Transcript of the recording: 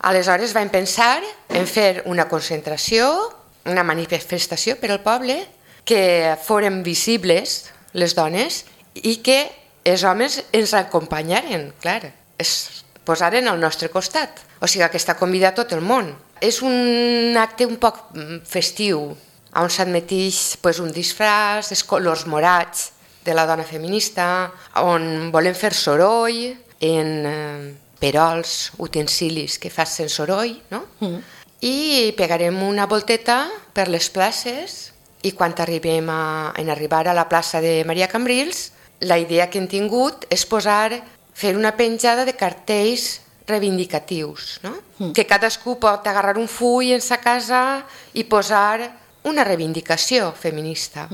Aleshores vam pensar en fer una concentració, una manifestació per al poble, que fórem visibles les dones i que els homes ens acompanyaren, clar, es posaren al nostre costat. O sigui que està convidat tot el món. És un acte un poc festiu, on s'admeteix un disfraç, els colors morats de la dona feminista, on volem fer soroll en perols, utensilis que facin soroll, no? I pegarem una volteta per les places i quan arribem en arribar a la plaça de Maria Cambrils, la idea que hem tingut és fer una penjada de cartells reivindicatius, no? Que cadascú pot agarrar un full en sa casa i posar una reivindicació feminista.